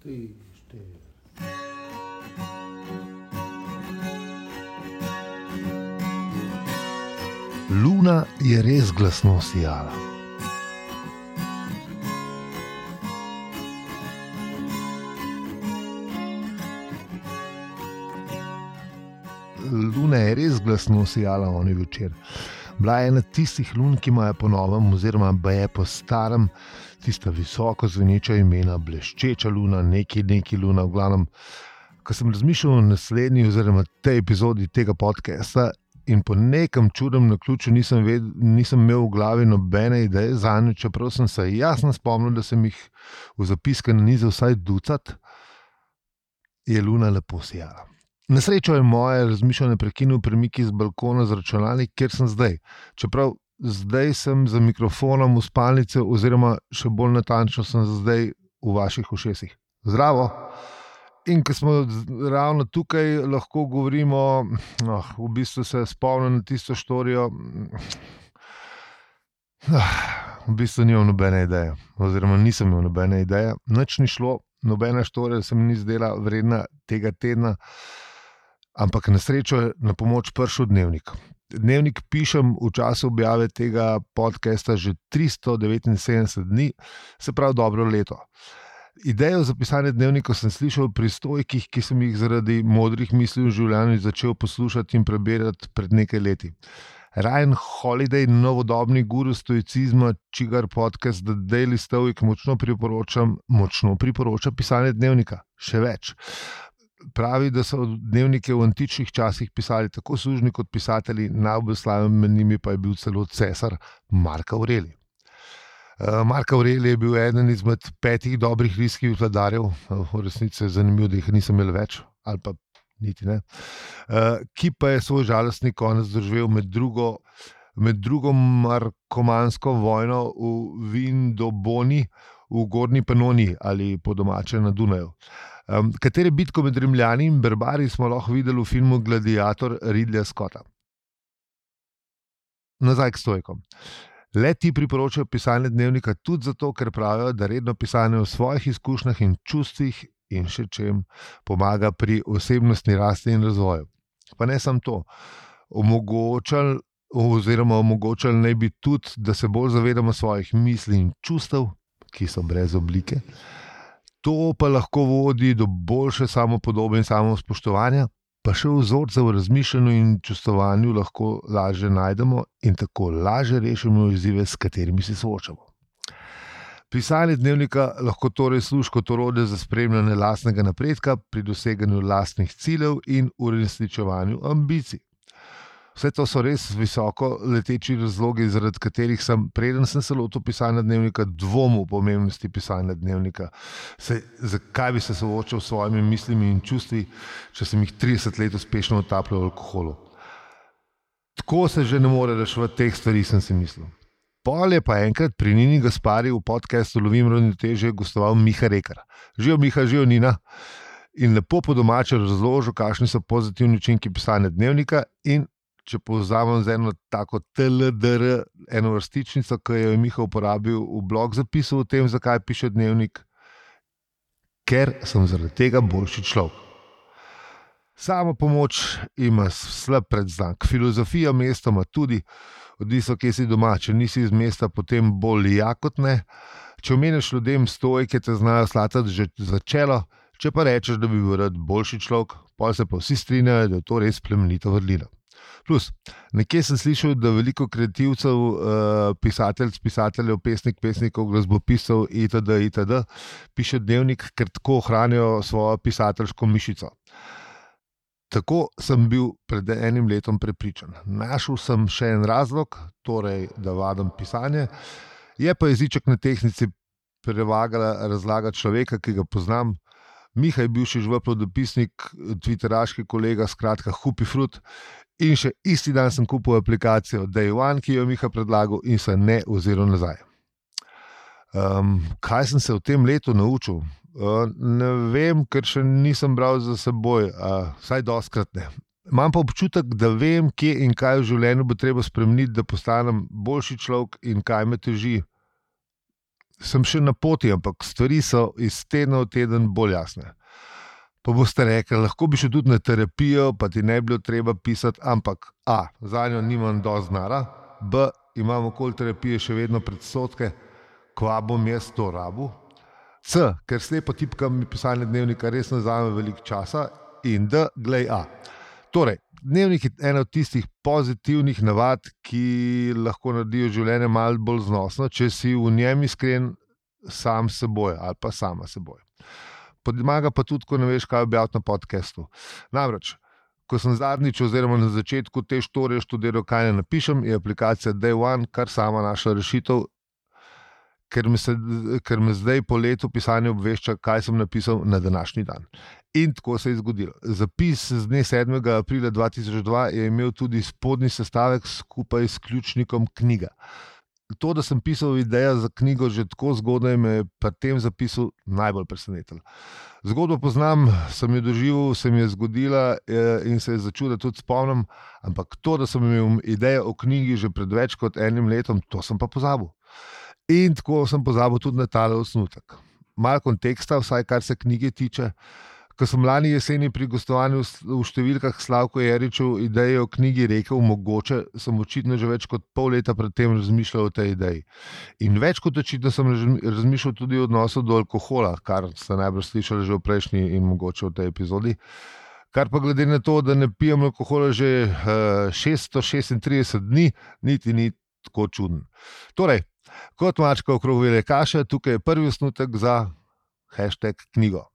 3, 4. Luna je res glasno sijala. Luna je res glasno sijala oni večer. Bila je ena tistih lun, ki imajo po novem, oziroma je po starem, tista visoko zveneča imena, bleščeča luna, neki luna, v glavnem. Ko sem razmišljal o naslednji oziroma tej epizodi tega podcasta in po nekem čudnem naključju nisem imel v glavi nobene ideje zanjo, čeprav sem se jasno spomnil, da sem jih v zapiske nanizal vsaj ducat, je luna lepo sijala. Na srečo je moje razmišljanje prekinil premik iz balkona z računalnik, kjer sem zdaj. Čeprav zdaj sem za mikrofonom v spalnici oziroma še bolj natančno sem zdaj v vaših ušesih. Zdravo! In ko smo ravno tukaj, lahko govorimo, v bistvu se spomnim na tisto štorijo, v bistvu nimam nobene ideje, oziroma nisem imel nobene ideje. Nič ni šlo, nobena štorija se mi ni zdela vredna tega tedna, ampak na srečo je na pomoč prišel dnevnik. Dnevnik pišem v času objave tega podcasta že 379 dni, se pravi dobro leto. Idejo za pisanje dnevnikov sem slišal pri stojkih, ki sem jih zaradi modrih misli v življenju začel poslušati in prebirati pred nekaj leti. Ryan Holiday, novodobni guru stoicizma, čigar podcast The Daily Stoic močno priporoča pisanje dnevnika. Še več. Pravi, da so dnevnike v antičnih časih pisali tako sužnji kot pisatelji, najbolj slaven med njimi pa je bil celo cesar Mark Aurelij. Mark Aurelij je bil eden izmed 5 dobrih rimskih vladarjev, v resnici je zanimivo, da jih nisem imel več, ali pa niti ne, ki pa je svoj žalostni konec doživel med drugo markomansko vojno v Vindoboni v Gornji Panoniji ali po domače na Dunaju. Katere bitko med Rimljani in Barbari smo lahko videli v filmu Gladiator Ridleya Scotta. Nazaj k stoikom. Le ti priporočajo pisanje dnevnika tudi zato, ker pravijo, da redno pisanje o svojih izkušnjah in čustvih in še čem pomaga pri osebnostni rasti in razvoju. Pa ne samo to, omogočali naj bi tudi, da se bolj zavedamo svojih misli in čustev, ki so brez oblike. To pa lahko vodi do boljše samopodobe in samospoštovanja, pa še vzorce v razmišljanju in čustvovanju lahko lažje najdemo in tako lažje rešimo izzive, s katerimi se soočamo. Pisanje dnevnika lahko torej služi kot orodje za spremljanje lastnega napredka pri doseganju lastnih ciljev in uresničevanju ambicij. Vse to so res visoko leteči razlogi, zaradi katerih sem, preden sem se lotil pisanja dnevnika, dvomil o pomembnosti pisanja dnevnika. Zakaj bi se soočal s svojimi mislimi in čustvi, če sem jih 30 let uspešno utapljal v alkoholu? Tako se že ne more reševati teh stvari, sem si mislil. Pol je pa enkrat pri Nini Gaspari v podcastu Lovim ravnotežje gostoval Miha Rekar. Živijo Miha, živijo Nina. In lepo po domače razložil, kakšni so pozitivni učinki pisanja dnevnika in če povzamem z eno tako TLDR, eno vrstičnico, ki jo je Miha uporabil v blog zapisu o tem, zakaj piše dnevnik, ker sem zaradi tega boljši človek. Sama pomoč ima slab predznak. Filozofija mestoma tudi, odvisno, kje si doma. Če nisi iz mesta, potem bolj ja kot ne. Če omeniš ljudem stoike, te znajo slatati že za čelo, če pa rečeš, da bi bil rad boljši človek, potem se pa vsi strinjajo, da je to res plemenita vrlina. Plus, nekje sem slišal, da veliko kreativcev, pisateljev, pesnikov, glasbopiscev itd. Piše dnevnik, ker tako ohranijo svojo pisateljsko mišico. Tako sem bil pred enim letom prepričan. Našel sem še en razlog, torej, da vadim pisanje. Je pa jeziček na tehtnici prevagala razlaga človeka, ki ga poznam. Miha je bivši žveplov dopisnik, twitteraški kolega, skratka Hupifrut. In še isti dan sem kupil aplikacijo Day One, ki jo je Miha predlagal in se ne oziral nazaj. Kaj sem se v tem letu naučil? Ne vem, ker še nisem bral za seboj, vsaj dostikrat ne. Imam pa občutek, da vem, kje in kaj v življenju bo treba spremeniti, da postanem boljši človek in kaj me teži. sem še na poti, ampak stvari so iz tedna v teden bolj jasne. Pa boste rekli, lahko bi šel tudi na terapijo, pa ti ne bi bilo treba pisati, ampak A, za njo nimam dosti znara, B, imam okoli terapije še vedno predsodke, kva bom jaz to rabil, C, ker slepo tipkam mi pisanje dnevnika res ne vzame veliko časa, in D, glej A. Torej, dnevnik je ena od tistih pozitivnih navad, ki lahko naredijo življenje malo bolj znosno, če si v njem iskren sam s seboj ali pa sama s seboj. Pomaga pa tudi, ko ne veš, kaj objaviti na podcastu. Namreč, ko sem zadnjič oziroma na začetku te štorije študiral, kaj ne napišem, je aplikacija Day One kar sama našla rešitev, ker me zdaj po letu pisanja obvešča, kaj sem napisal na današnji dan. In tako se je zgodilo. Zapis z dne 7. aprila 2002 je imel tudi spodnji sestavek skupaj s ključnikom knjiga. To, da sem pisal idejo za knjigo že tako zgodaj, me je pri tem zapisu najbolj presenetilo. Zgodbo poznam, sem jo doživel, se mi je zgodila in se je začuda tudi spomnim, ampak to, da sem imel idejo o knjigi že pred več kot enim letom, to sem pa pozabil. In tako sem pozabil tudi na tale osnutek. Malo konteksta, vsaj kar se knjige tiče. Ko sem lani jeseni pri gostovanju v številkah Slavko Jeričev idejo o knjigi rekel mogoče, sem očitno že več kot pol leta pred tem razmišljal o tej ideji. In več kot očitno sem razmišljal tudi o odnosu do alkohola, kar ste najbrž slišali že v prejšnji in mogoče v tej epizodi. Kar pa glede na to, da ne pijem alkohola že 636 dni, niti ni tako čuden. Torej, kot mačka okrog vele kaše, tukaj je prvi osnutek za #knjigo.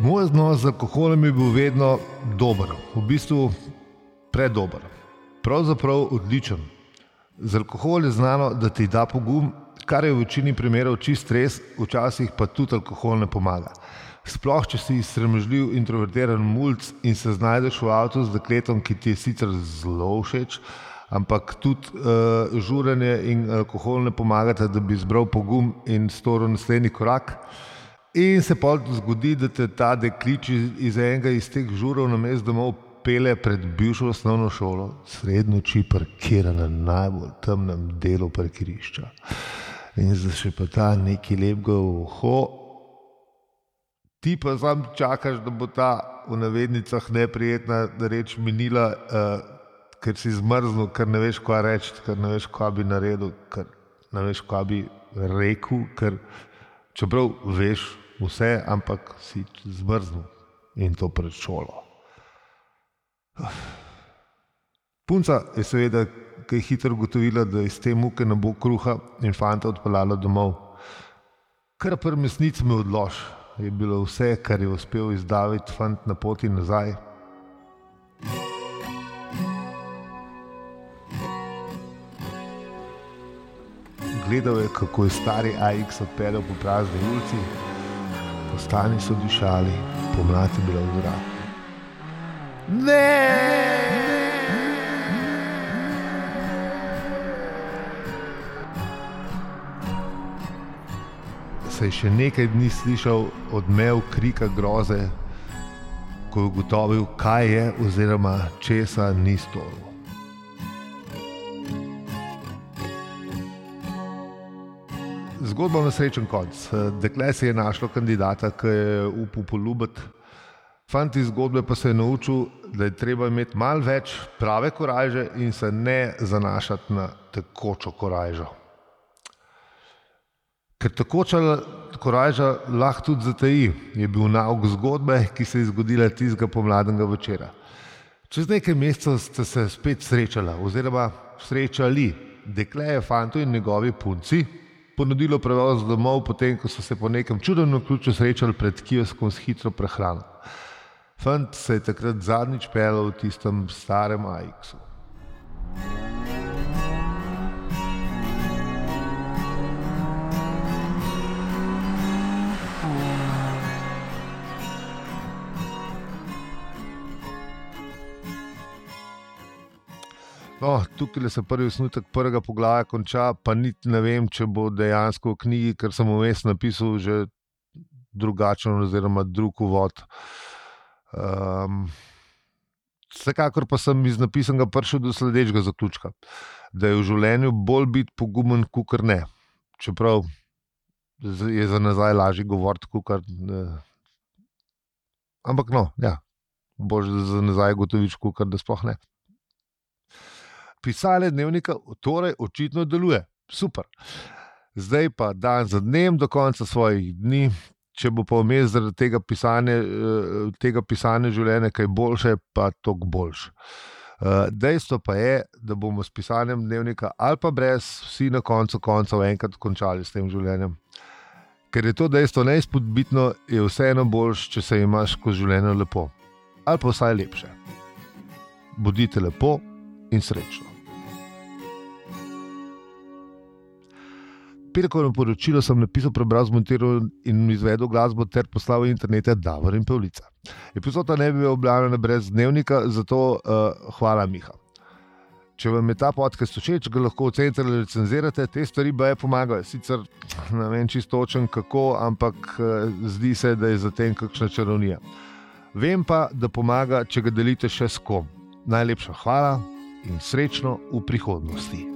Moj odnos z alkoholom je bil vedno dober, v bistvu predober, pravzaprav odličen. Z alkoholom je znano, da ti da pogum, kar je v večini primerov čist res, včasih pa tudi alkohol ne pomaga. Sploh, če si sramežljiv, introvertiran mulc in se znajdeš v avtu z dekletom, ki ti je sicer zelo všeč, ampak tudi žuranje in alkohol ne pomagata, da bi zbral pogum in storil naslednji korak. In se pol zgodi, da te ta deklič iz enega iz teh žurov namesto domov pele pred bivšo osnovno šolo, sredi noči parkira na najbolj temnem delu parkirišča. In zdaj še pa ta neki lepega uho, ti pa sam čakaš, da bo ta v navednicah neprijetna reč minila, ker si zmrznil, ker ne veš, kaj reči, ker ne veš, kaj bi naredil, ker ne veš, kaj bi rekel, ker čeprav veš vse, ampak si zmrznil in to pred šolo. Punca je seveda kaj hitro ugotovila, da iz te muke ne bo kruha in fanta odpeljala domov. Kar pri mesnici me odlož, je bilo vse, kar je uspel izdaviti fant na poti nazaj. Gledal je, kako je stari AX odpeljal po prazni ulici, postani so dišali, pomlad je bila v zraku. Se je še nekaj dni slišal odmev krika groze, ko je ugotovil, kaj je oziroma česa ni storil. Zgodba ima srečen konc. Dekle se je našlo kandidata, ki je upal poljubiti. Fant iz zgodbe pa se je naučil, da je treba imeti malo več prave korajže in se ne zanašati na tekočo korajžo. Ker tekoča korajža lahko tudi zataji, je bil nauk zgodbe, ki se je zgodila tistega pomladnega večera. Čez nekaj mesecev ste se spet srečala oziroma srečali. Dekle je fantu in njegovi punci ponudilo prevoz domov, potem ko so se po nekem čudnem naključju srečali pred kioskom s hitro prehrano. Fant se je takrat zadnjič peljal v tistem starem AX-u. No, tukaj se prvi osnutek prvega poglavja konča, pa niti ne vem, če bo dejansko v knjigi, ker sem vmes napisal že drugačen oziroma drug uvod. Vsekakor pa sem iz napisanega prišel do sledečega zaključka, da je v življenju bolj biti pogumen, kakor ne. Čeprav je za nazaj lažje govoriti, kakor ampak no, ja, boš za nazaj gotoviš, kakor da sploh ne. Pisanje dnevnika torej očitno deluje. Super. Zdaj pa dan za dnem do konca svojih dni. Če bo pa vmes zaradi tega pisanja življenja kaj boljše, pa toliko boljše. Dejstvo pa je, da bomo s pisanjem dnevnika ali pa brez vsi na koncu koncev enkrat končali s tem življenjem. Ker je to dejstvo neizpodbitno, je vseeno boljše, če se imaš skozi življenje lepo. Ali pa vsaj lepše. Bodite lepo in srečno. Petkovno poročilo sem napisal, prebral, zmontiral in izvedel glasbo ter poslal v internete Davor in Pavlica. Epizoda ne bi bila objavljena brez dnevnika, zato hvala, Miha. Če vam je ta podcast všeč, ga lahko ocenite ali recenzirate, te stvari baje pomagajo. Sicer ne vem čisto točno kako, ampak zdi se, da je za tem kakšna čarovnija. Vem pa, da pomaga, če ga delite še s kom. Najlepša hvala in srečno v prihodnosti.